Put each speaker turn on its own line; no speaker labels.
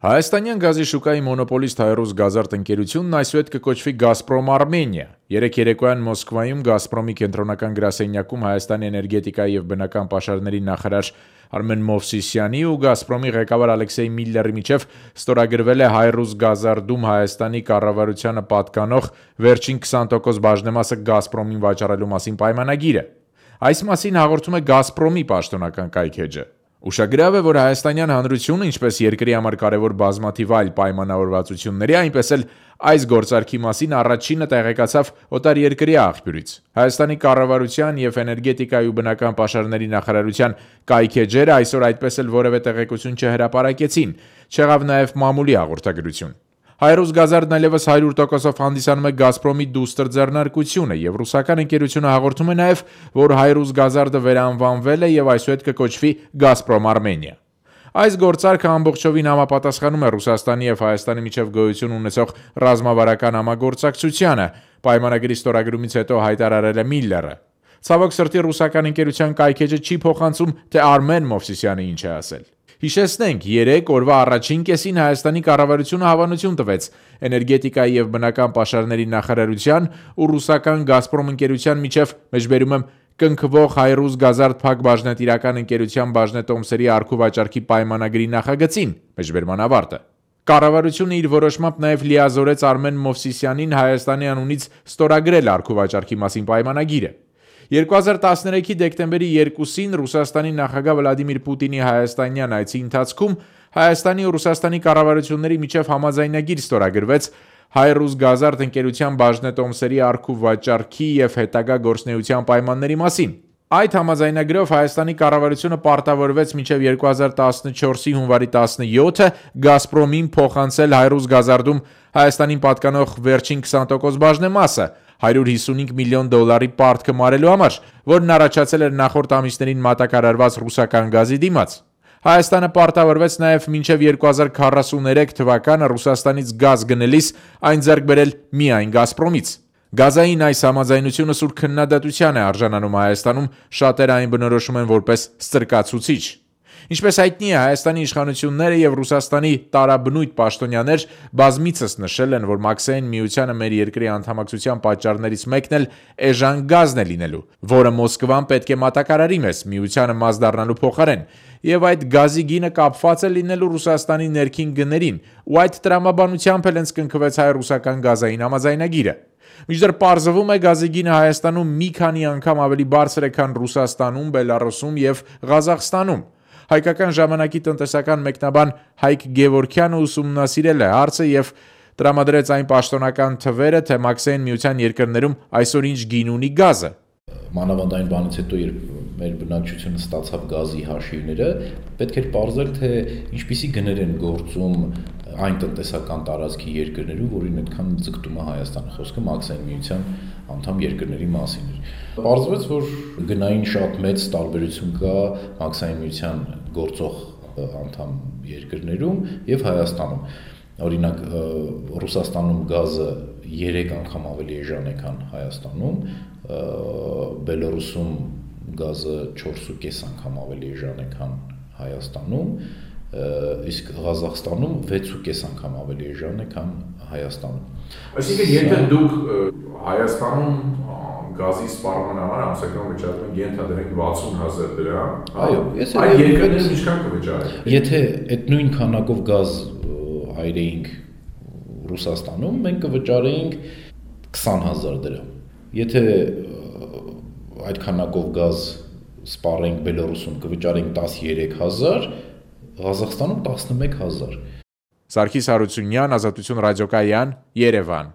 Հայաստանյան գազի շուկայի մոնոպոլիստ Հայրուզ Գազարդ ընկերությունն այսուհետ կկոչվի Գազպրոմ Արմենիա։ Երեկ երեկոյան Մոսկվայում Գազպրոմի կենտրոնական գրասենյակում Հայաստանի էներգետիկայի և բնական պաշարների նախարար Արմեն Մովսիսյանի ու Գազպրոմի ղեկավար Ալեքսեյ Միլլերի միջև ստորագրվել է Հայրուզ Գազարդում Հայաստանի կառավարությանը պատկանող վերջին 20% բաժնեմասը Գազպրոմին վաճառելու մասին պայմանագիրը։ Այս մասին հաղորդում է Գազպրոմի պաշտոնական կայքէջը։ Ուշագրավ է, որ Հայաստանյան Հանրությունը, ինչպես երկրի համար կարևոր բազմաթիվ այլ պայմանավորվածությունների, այնպես էլ այս գործարքի մասին առաջինը տեղեկացավ օտարերկրյա աղբյուրից։ Հայաստանի կառավարության և էներգետիկայի ու բնական պաշարների նախարարության կայքէջերը այսօր այդպես էլ որևէ տեղեկություն չհրապարակեցին, չեղավ նաև մամուլի հաղորդագրություն։ Հայրուզ Գազարդն այլևս 100%-ով հանդիսանում է Գազպրոմի դուստր ձեռնարկությունը, և ռուսական ընկերությունը հաղորդում է նաև, որ Հայրուզ Գազարդը վերանվանվել է և այսուհետ կկոչվի Գազպրոմ Արմենիա։ Այս գործարքը ամբողջովին համապատասխանում է Ռուսաստանի և Հայաստանի միջև գոյություն ունեցող ռազմավարական համագործակցությանը, պայմանագրի ստորագրումից հետո հայտարարել է Միլլերը։ Ցավոք սրտի ռուսական ընկերության կայքէջը չի փոխանցում, թե Արմեն Մովսիսյանը ինչ է ասել։ Հիշեցնենք, երեկ օրվա առաջին կեսին Հայաստանի կառավարությունը հավանություն տվեց էներգետիկայի և բնական պաշարների նախարարության ու ռուսական Գազպրոմ ընկերության միջև մեջբերում եմ կնքվող Հայրուզ Գազարդ փակ բաժնետիրական ընկերության բաժնետոմսերի առքու վաճառքի պայմանագրի նախագծին, մեջբերման ավարտը։ Կառավարությունը իր որոշմամբ նաև լիազորեց Արմեն Մովսիսյանին Հայաստանի անունից ստորագրել առքու վաճառքի մասին պայմանագիրը։ 2013-ի դեկտեմբերի 2-ին Ռուսաստանի նախագահ Վլադիմիր Պուտինի հայաստանյան այցի ընթացքում Հայաստանի ու Ռուսաստանի կառավարությունների միջև համաձայնագիր ստորագրվեց Հայրուզ Գազարդ ընկերության բաժնետոմսերի առքու վաճառքի և հետագա գործունեության պայմանների մասին։ Այդ համաձայնագրով Հայաստանի կառավարությունը պարտավորվեց մինչև 2014-ի հունվարի 17-ը Գազպրոմին փոխանցել Հայրուզ Գազարդում Հայաստանին պատկանող վերջին 20% բաժնեմասը $155 միլիոն պարտքը մարելու համար, որն առաջացել էր նախորդ ամիսներին մատակարարված ռուսական գազի դիմաց։ Հայաստանը պարտավորվեց նաև մինչև 2043 թվականը Ռուսաստանից գազ գնելիս այն ձեռք բերել միայն Գազպրոմից։ Գազային այս համաձայնությունը սուր քննադատության է արժանանում Հայաստանում, շատերը այն բնորոշում են որպես ստրկացուցիչ։ Ինչպես հայտնի է, Հայաստանի իշխանությունները և Ռուսաստանի տարաբնույթ պաշտոնյաներ բազմիցս նշել են, որ Մաքսային միությանը մեր երկրի անդամակցության պատճառներից մեկն էլ էժան գազն է լինելու, որը Մոսկվան պետք է մատակարարի մեզ միությանը մաս դառնալու փոխարեն, և այդ գազի գինը կապված է լինելու Ռուսաստանի ներքին գներին, ու այդ տրամաբանությամբ էլ հենց կնքվեց հայ-ռուսական գազային համաձայնագիրը։ Մինչդեռ պարզվում է գազի գինը Հայաստանում մի քանի անգամ ավելի բարձր է, քան Ռուսաստանում, Բելառուսում և Ղազախստանում։ Հայկական ժամանակի տնտեսական մեկնաբան Հայկ Գևորգյանը ուսումնասիրել է հարցը և տրամադրեց այն պաշտոնական թվերը, թե Մաքսային միության երկրներում այսօր ինչ գին ունի գազը։
Մանավանդ այն բանից հետո, երբ մեր բնակչությունը ստացավ գազի հաշիվները, պետք էր պարզել, թե ինչպիսի գներ են գործում այն տնտեսական տարածքի երկրներում, որին այդքան ձգտում է Հայաստանը, խոսքը Մաքսային միության անդամ երկրների մասին էր։ Պարզվեց, որ գնային շատ մեծ տարբերություն կա Մաքսային միության գործող անդամ երկրներում և Հայաստանում։ Օրինակ, Ռուսաստանում գազը 3 անգամ ավելի էժան է, քան Հայաստանում, Բելառուսում գազը 4.5 անգամ ավելի էժան է, քան Հայաստանում, իսկ Ղազախստանում 6.5 անգամ ավելի էժան է, քան Հայաստանում։
Այսինքն, եթե դուք Հայաստանում գազի սպառման համար ամսական վճարում եք ենթադրենք $60,000,
այո,
այդ երկրներում ինչքան կվճարեք։
Եթե այդ նույն քանակով գազ այրեինք Ռուսաստանում, մենք կվճարեինք $20,000։ Եթե այդ քանակով գազ սպառենք Բելառուսում, կվճարենք $13,000, Ղազախստանում $11,000։
Սարգիս Հարությունյան, Ազատություն ռադիոկայան, Երևան։